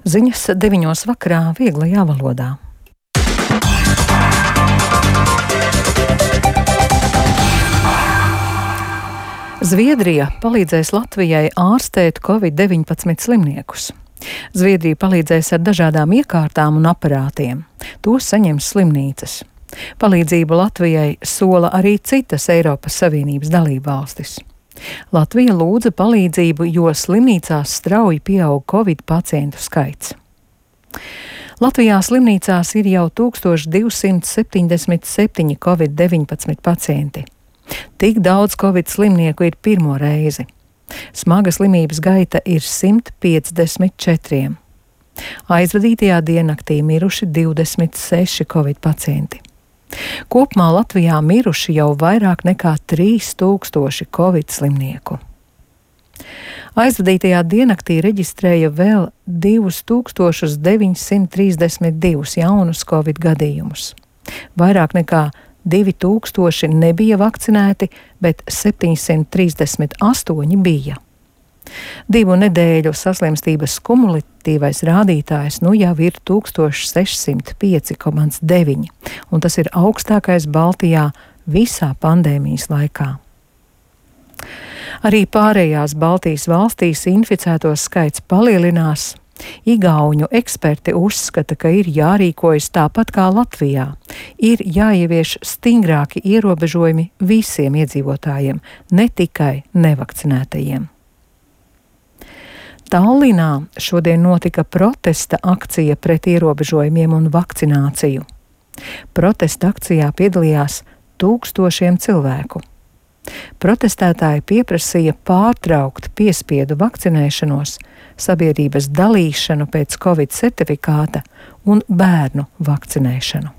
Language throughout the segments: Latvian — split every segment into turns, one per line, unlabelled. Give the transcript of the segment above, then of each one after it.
Ziņas 9 vakarā vieglajā valodā. Zviedrija palīdzēs Latvijai ārstēt Covid-19 slimniekus. Zviedrija palīdzēs ar dažādām iekārtām un aparātiem. Tos saņems slimnīcas. Palīdzību Latvijai sola arī citas Eiropas Savienības dalībvalstis. Latvija lūdza palīdzību, jo slimnīcās strauji pieaug Covid pacientu skaits. Latvijā slimnīcās ir jau 1277 Covid-19 pacienti. Tik daudz Covid slimnieku ir pirmo reizi. Smaga slimības gaita ir 154. Aizvadītajā diennaktī miruši 26 Covid pacienti. Kopumā Latvijā miruši jau vairāk nekā 3000 Covid slimnieku. Aizvadītajā diennaktī reģistrēja vēl 2932 jaunus Covid gadījumus. Vairāk nekā 2000 nebija vakcinēti, bet 738 bija. 2 nedēļu saslimstības kumulatīvais rādītājs nu jau ir 1605,9, un tas ir augstākais Baltijā visā pandēmijas laikā. Arī pārējās Baltijas valstīs inficēto skaits palielinās. Igauņu eksperti uzskata, ka ir jārīkojas tāpat kā Latvijā. Ir jāievieš stingrāki ierobežojumi visiem iedzīvotājiem, ne tikai nevakcinētajiem. Tallinā šodien notika protesta akcija pret ierobežojumiem un vakcināciju. Protesta akcijā piedalījās 1000 cilvēku. Protestētāji pieprasīja pārtraukt piespiedu vakcinēšanos, sabiedrības dalīšanu pēc Covid certifikāta un bērnu vakcinēšanu.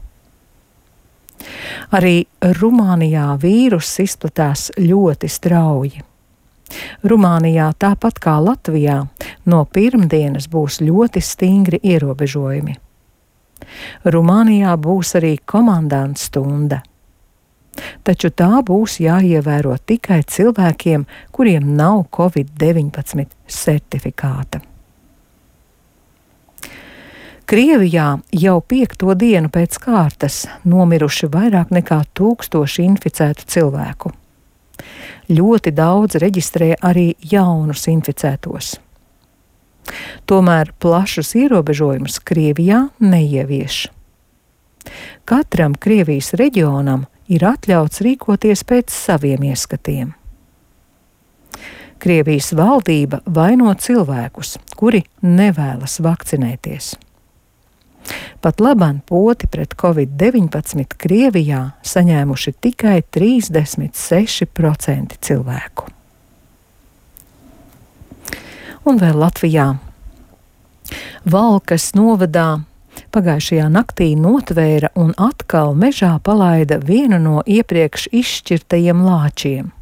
Arī Rumānijā vīruss izplatās ļoti strauji. Rumānijā, tāpat kā Latvijā, no pirmdienas būs ļoti stingri ierobežojumi. Rumānijā būs arī komandanta stunda. Taču tā būs jāievēro tikai cilvēkiem, kuriem nav Covid-19 certifikāta. Krievijā jau 5. dienu pēc kārtas nomiruši vairāk nekā 1000 inficētu cilvēku. Ļoti daudz reģistrē arī jaunus inficētos. Tomēr plašus ierobežojumus Krievijā neievieš. Katram Krievijas reģionam ir atļauts rīkoties pēc saviem ieskatiem. Krievijas valdība vaino cilvēkus, kuri nevēlas vakcinēties. Pat labāk poti pret Covid-19 Krievijā saņēmuši tikai 36% cilvēku. Un vēl Latvijā. Valkas novadā pagājušajā naktī notvēra un atkal mežā palaida vienu no iepriekš izšķirtajiem lāčiem.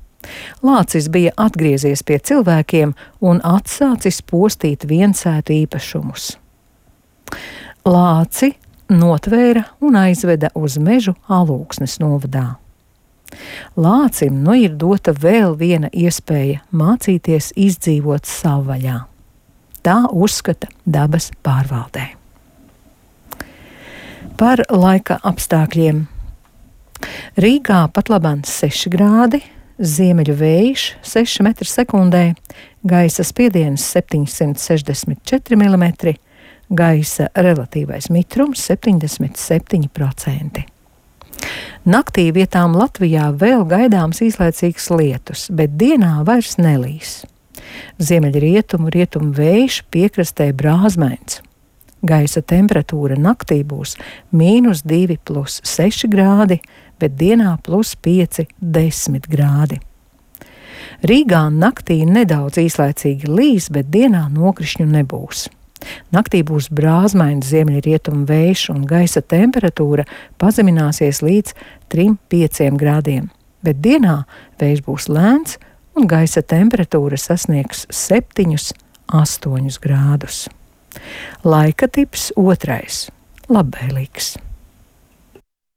Lācis bija atgriezies pie cilvēkiem un atsācis postīt viensētu īpašumus. Lāci notvēra un aizveda uz mežu Alūksnes novadā. Lācim nu ir dota vēl viena iespēja mācīties izdzīvot savvaļā. Tā uzskata dabas pārvaldē. Par laika apstākļiem. Rīgā pat labāk 6 grādi, ziemeļu vējš 6 m/sekundē, gaisa spiediens 764 mm, gaisa relatīvais mitrums 77%. Naktī vietām Latvijā vēl gaidāms īslaicīgs lietus, bet dienā vairs nelīs. Ziemeļrietumu vējš piekrastē brāzmains. Gaisa temperatūra naktī būs -2 + 6 grādi, bet dienā +5 - 10 grādi. Rīgā naktī nedaudz īslaicīgi līs, bet dienā nokrišņu nebūs. Naktī būs brāzmains ziemeļrietumu vējš un gaisa temperatūra pazemināsies līdz 3–5 grādiem, bet dienā vējš būs lēns un gaisa temperatūra sasniegs 7–8 grādus. Laika tips 2. Labvēlīgs.